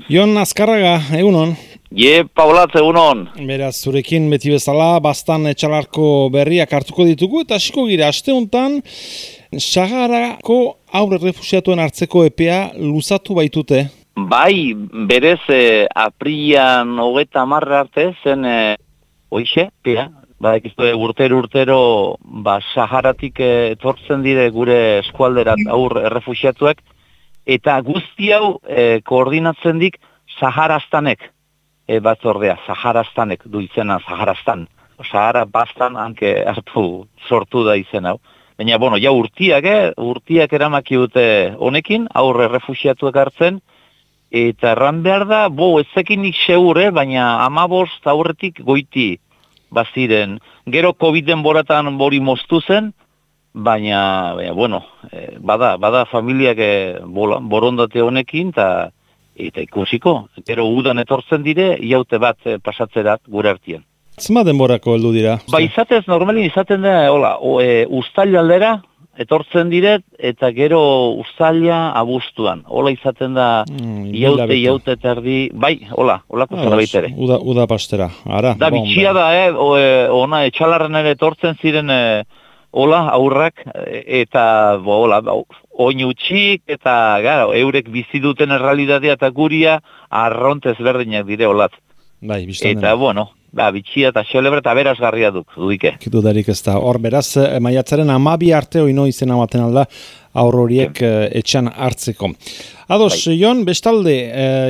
Jon Azkarraga, egunon. Paulatze, egunon. Beraz, zurekin beti bezala, bastan etxalarko berriak hartuko ditugu, eta hasiko gira, aste honetan, Saharako aurre refusiatuen hartzeko epea luzatu baitute. Bai, berez, aprilan 30 arte zen, hoixe, pea, urtero, Saharatik etortzen dire gure eskualderat aurre refusiatuek, eta guzti hau koordinatzen dik Saharaztanek, batzordea, Saharaztanek du izena Saharaztan. Sahara bastan hanke hartu sortu da izen hau. Baina, ja urtiak eramaki dute honekin, aurre refusiatuek hartzen, eta erran behar da, ezekinik segur, baina 15 aurretik goiti baziren. Gero COVID-en boratan bori moztu zen, baina bada familiak borondate honekin, eta ikusiko. Gero udan etortzen dire, iaute bat pasatzerat gure artien. Zema denborako heldu dira? Izatez, normalin izaten da, uztail aldera etortzen diret, eta gero uztaila abuztuan. Hola izaten da, iaute terdi, holako zerbait ere. Uda pastera, ara. Da, bitxia da, ona etxalarren ere etortzen ziren, aurrak, eta, oin utxik, eta, eurek bizi duten errealitatea eta guria, arrontez berdinak dire, olat. Bai, biztan eta, bitxia eta xelebre eta berazgarria duike. Dudarik ez da. Hor, beraz, maiatzaren 12 arte oino izena baten alda aur horiek etxan hartzeko. Ados, Jon, bestalde,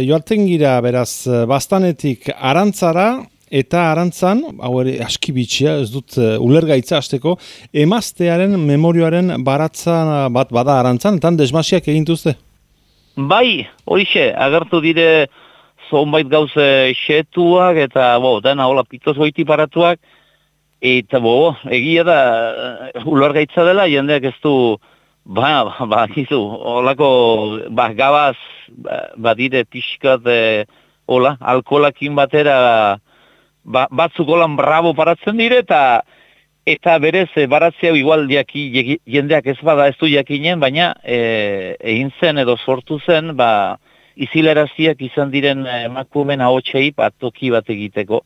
joaten gira, beraz, bastanetik arantzara, eta arantzan, hau ere aski bitxia, ez dut ulergaitza hasteko, emaztearen memorioaren baratza bat bada arantzan, eta desmasiak egintuzte? Bai, horixe, agertu dire zonbait gauze xetuak, eta dena hola pitoz goiti paratuak, eta egia da, ulergaitza dela, jendeak ez du, holako, gabaz, badire pixkat, alkolakin batera, batzuk holan bravo paratzen dire, eta berez baratzea igual jendeak ez bada ez du jakinen, baina egin zen edo sortu zen, izilaraziak izan diren emakumen ahotsei toki bat egiteko.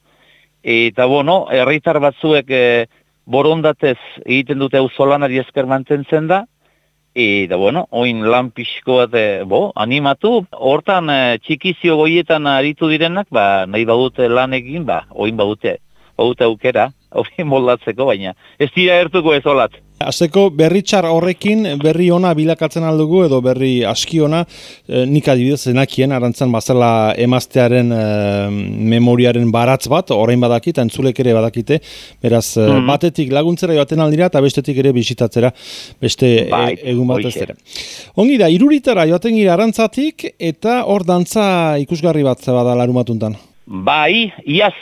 Eta herritar batzuek borondatez egiten dute auzolanari esker mantentzen da, eta oin lan pixko bat animatu, hortan txikizio goietan aritu direnak, nahi badute lan egin, oin badute aukera, hori moldatzeko, baina ez dira ertuko ez olat. Azteko berri txar horrekin berri ona bilakatzen aldugu edo berri aski ona, nik adibidez zenakien arantzan bazela emaztearen memoriaren baratz bat, orain badakit, entzulek ere badakite, beraz batetik laguntzera joaten aldira eta bestetik ere bisitatzera beste egun bat ez dira. Ongi da, Iruritara joaten gira arantzatik eta hor dantza ikusgarri bat bada larumatuntan. Bai, iaz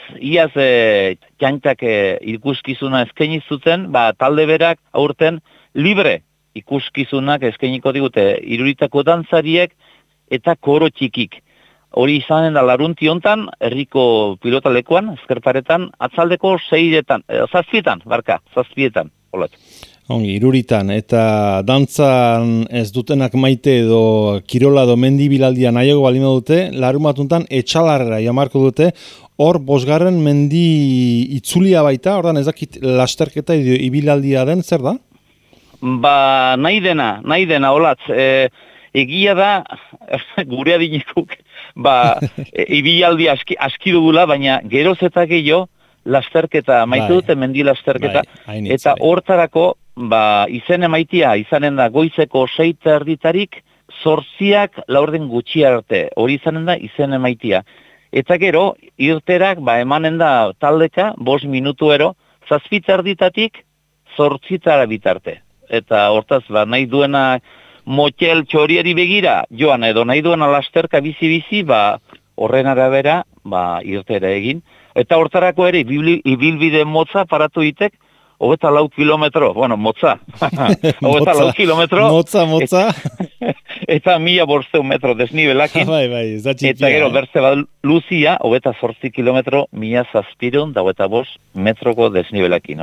txantak ikuskizuna eskaini zuten, talde berak aurten libre ikuskizunak eskainiko digute Iruritako dantzariek eta koro txikik. Hori izanen da larunti hontan, herriko pilotalekuan, ezkerparetan, atzaldeko 7etan, holat. Ongi, Iruritan, eta dantzan ez dutenak maite edo kirola edo mendibilaldia nahiago balima dute, larumatuntan etxalarrera jamarko dute, hor 5. mendi itzulia baita, ordan ezakit lasterketa ibilaldia den, zer da? Nahi dena, olatz, egia da, gure adinekuk, ibilaldi aski dugula, baina geroz eta gehiago, lasterketa, maite dute mendi lasterketa, eta hortarako, izen emaitia, izanen da goizeko 6:30 8:00 laurden gutxi arte, hori izanen da izen emaitia. Eta gero, irterak, emanen da taldeka, 5 minutuero, 7:30 8:00 bitarte. Eta hortaz, nahi duena motel txorieri begira, joan edo nahi duena lasterka bizi-bizi, horren arabera, irtera egin. Eta hortarako ere, ibilbide motza paratu itek, 24 kilometro, motza. 24 kilometro. Motza. Eta 1500 metro desnibelakin. Eta gero, berze bat luzia, 28 kilometro, 1725 metroko desnibelakin.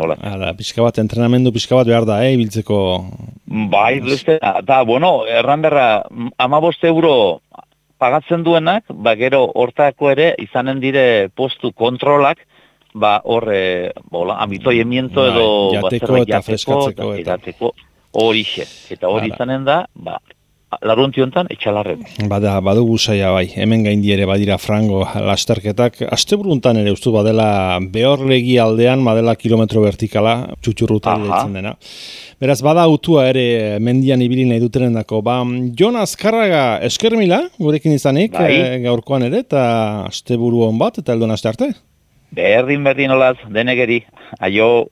Pixka bat, entrenamendu pixka bat behar da, ibiltzeko. Erran berra, 15 euro pagatzen duenak, gero hortako ere izanen dire postu kontrolak, hor, amitoiemiento edo jateko eta freskatzeko edateko horixe. Eta hori izanen da, laruntiontan etxalarren. Badugu saia bai, hemen gaindi ere badira frango lasterketak. Asteburuntan ere ustu badela Behorlegi aldean, badela kilometro vertikala, txutxurruta ditzen dena. Beraz, bada autua ere mendian ibili nahi dutenendako. Jon Azkarraga eskermila, gurekin izanik, gaurkoan ere, eta asteburu on bat, eta eldon aste arte? Berdin olaz, denegeri, aio.